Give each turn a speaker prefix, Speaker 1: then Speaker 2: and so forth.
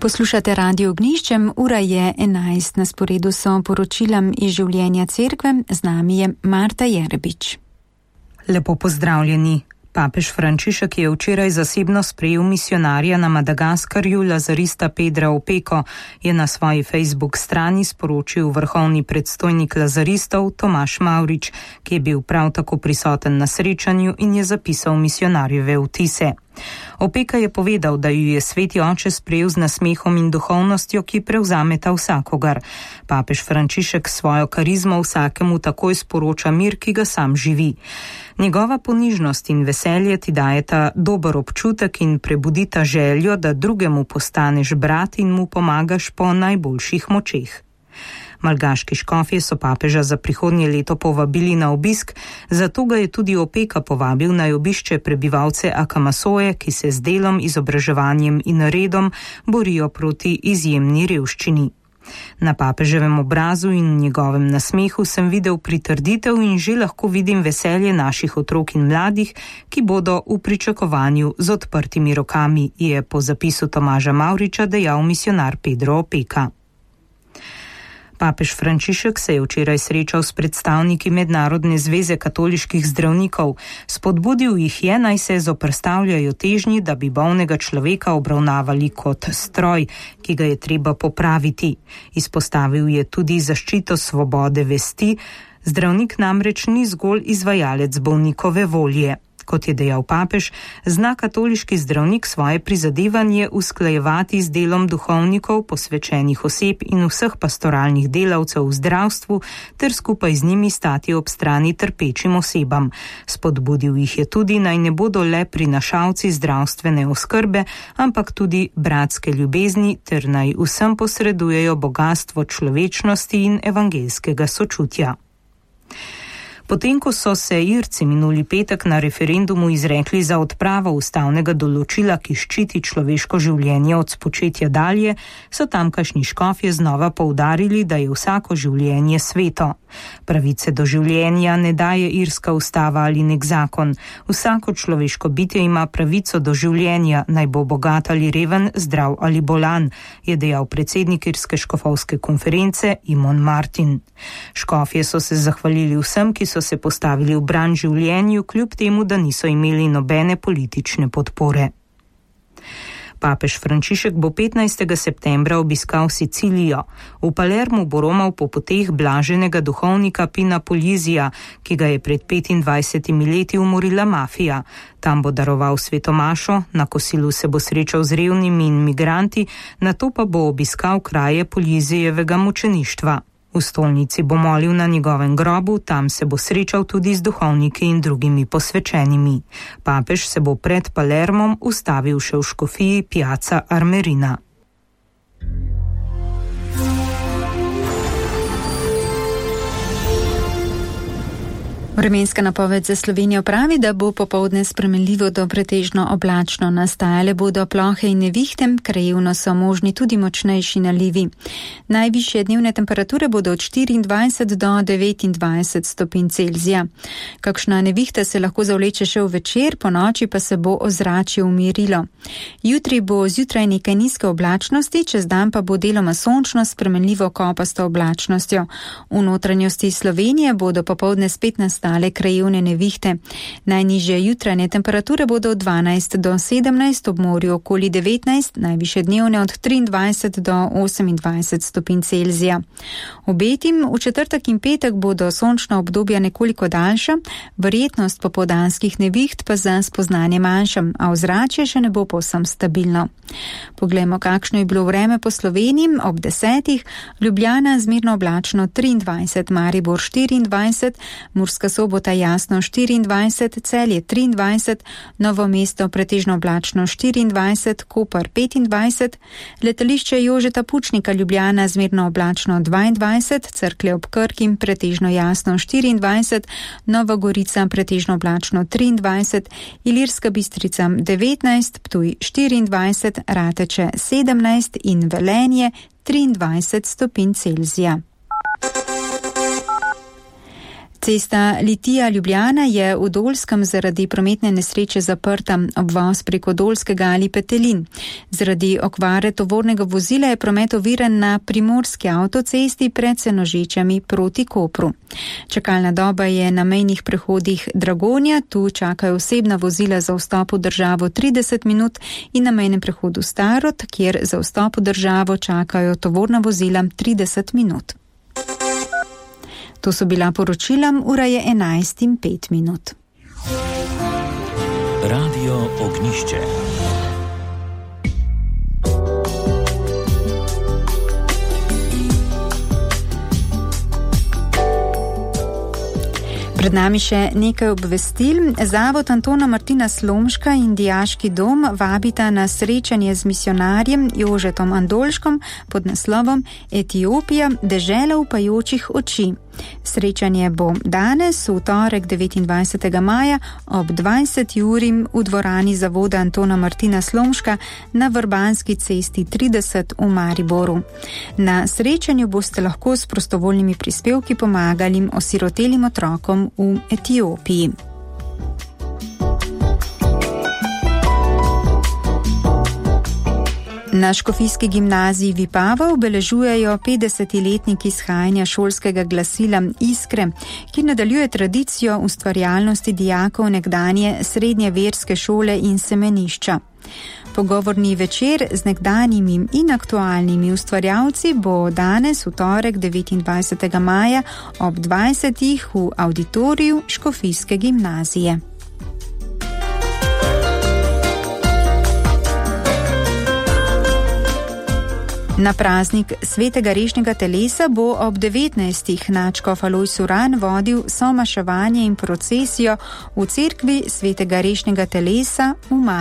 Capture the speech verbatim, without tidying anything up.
Speaker 1: Poslušate Radio Ognjiščem, ura je enajst, na sporedu so poročilam iz življenja cerkve, z nami je Marta Jerbič.
Speaker 2: Lepo pozdravljeni. Papež Frančišek je včeraj zasebno sprejel misijonarja na Madagaskarju, lazarista Pedra Opeko, je na svoji Facebook strani sporočil vrhovni predstojnik lazaristov Tomaž Mavrič, ki je bil prav tako prisoten na srečanju in je zapisal misijonarjeve vtise. Opeka je povedal, da ju je sveti oče sprejel z nasmehom in duhovnostjo, ki prevzameta vsakogar. Papež Frančišek svojo karizmo vsakemu takoj sporoča mir, ki ga sam živi. Njegova ponižnost in veselje ti dajeta dober občutek in prebudita željo, da drugemu postaneš brat in mu pomagaš po najboljših močeh. Malgaški škofje so papeža za prihodnje leto povabili na obisk, zato ga je tudi Opeka povabil naj obišče prebivalce Akamasoje, ki se z delom, izobraževanjem in redom borijo proti izjemni revščini. Na papeževem obrazu in njegovem nasmehu sem videl pritrditev in že lahko vidim veselje naših otrok in mladih, ki bodo v pričakovanju z odprtimi rokami, je po zapisu Tomaža Mavriča dejal misijonar Pedro Opeka. Papež Frančišek se je včeraj srečal s predstavniki Mednarodne zveze katoliških zdravnikov. Spodbudil jih je, naj se zoperstavljajo težnji, da bi bolnega človeka obravnavali kot stroj, ki ga je treba popraviti. Izpostavil je tudi zaščito svobode vesti. Zdravnik namreč ni zgolj izvajalec bolnikove volje. Kot je dejal papež, zna katoliški zdravnik svoje prizadevanje usklajevati z delom duhovnikov, posvečenih oseb in vseh pastoralnih delavcev v zdravstvu ter skupaj z njimi stati ob strani trpečim osebam. Spodbudil jih je tudi, naj ne bodo le prinašalci zdravstvene oskrbe, ampak tudi bratske ljubezni ter naj vsem posredujejo bogastvo človečnosti in evangeljskega sočutja. Potem, ko so se Irci minuli petek na referendumu izrekli za odpravo ustavnega določila, ki ščiti človeško življenje od spočetja dalje, so tamkajšnji škofje znova poudarili, da je vsako življenje sveto. Pravice do življenja ne daje irska ustava ali nek zakon. Vsako človeško bitje ima pravico do življenja, naj bo bogat ali reven, zdrav ali bolan, je dejal predsednik irske škofovske konference Imon Martin. Škofje so se zahvalili vsem, ki so se postavili v bran življenju, kljub temu, da niso imeli nobene politične podpore. Papež Frančišek bo petnajstega septembra obiskal Sicilijo. V Palermu bo romal po poteh blaženega duhovnika Pina Polizija, ki ga je pred petindvajsetimi leti umorila mafija. Tam bo daroval svetomašo, na kosilu se bo srečal z revnimi in migranti, nato pa bo obiskal kraje Polizijevega mučeništva. V stolnici bo molil na njegovem grobu, tam se bo srečal tudi z duhovniki in drugimi posvečenimi. Papež se bo pred Palermom ustavil še v škofiji Piazza Armerina.
Speaker 1: Vremenska napoved za Slovenijo pravi, da bo popoldne spremenljivo do pretežno oblačno. Nastajale bodo plohe in nevihte, krajevno so možni tudi močnejši nalivi. Najvišje dnevne temperature bodo od štiriindvajset do devetindvajset stopinj Celzija. Kakšna nevihta se lahko zavleče še v večer, po noči pa se bo ozračje umirilo. Jutri bo zjutraj nekaj nizke oblačnosti, čez dan pa bo deloma sončno spremenljivo kopasto oblačnostjo. V notranjosti Slovenije bodo popoldne spet nastale krajevne nevihte. Najnižje jutranje temperature bodo od dvanajst do sedemnajst, ob morju okoli devetnajst, najvišje dnevne od triindvajset do osemindvajset stopinj Celzija. Obetim v četrtek in petek bodo sončna obdobja nekoliko daljša, verjetnost popoldanskih neviht pa za spoznanje manjša, a ozračje še ne bo povsem stabilno. Poglejmo, kakšno je bilo vreme po Sloveniji ob desetih. Ljubljana zmerno oblačno triindvajset, Maribor štiriindvajset, Murska Sobota jasno štiriindvajset, Celje triindvajset, Novo mesto pretežno oblačno štiriindvajset, Koper petindvajset, letališče Jožeta Pučnika Ljubljana zmerno oblačno dvaindvajset, Cerklje ob Krki pretežno jasno štiriindvajset, Nova Gorica pretežno oblačno triindvajset, Ilirska Bistrica devetnajst, Ptuj štiriindvajset, Rateče sedemnajst in Velenje triindvajset stopinj Celzija. Cesta Litija-Ljubljana je v Dolskem zaradi prometne nesreče zaprta, obvoz preko Dolskega ali Petelin. Zaradi okvare tovornega vozila je promet oviran na primorski avtocesti pred Senožečami proti Kopru. Čakalna doba je na mejnih prehodih Dragonja, tu čakajo osebna vozila za vstop v državo trideset minut in na mejnem prehodu Starod, kjer za vstop v državo čakajo tovorna vozila trideset minut. To so bila poročila, ura je enajst in pet minut.
Speaker 3: Radio Ognišče.
Speaker 1: Pred nami še nekaj obvestil. Zavod Antona Martina Slomška in Dijaški dom vabita na srečanje z misionarjem Jožetom Andolškom pod naslovom Etiopija, dežela upajočih oči. Srečanje bo danes, v torek devetindvajsetega maja ob dvajseti uri v dvorani Zavoda Antona Martina Slomška na Vrbanski cesti trideset v Mariboru. Na srečanju boste lahko s prostovoljnimi prispevki pomagali osirotelim otrokom v Etiopiji. Na Škofijski gimnaziji Vipava obeležujejo petdesetiletniki izhajanja šolskega glasila Iskre, ki nadaljuje tradicijo ustvarjalnosti dijakov nekdanje srednje verske šole in semenišča. Pogovorni večer z nekdanjimi in aktualnimi ustvarjalci bo danes v torek devetindvajsetega maja ob dvajsetih v avditoriju Škofijske gimnazije. Na praznik svetega rešnjega telesa bo ob devetnajstih nadškof Alojz Uran vodil somaševanje in procesijo v cerkvi svetega rešnjega telesa v Mariboru.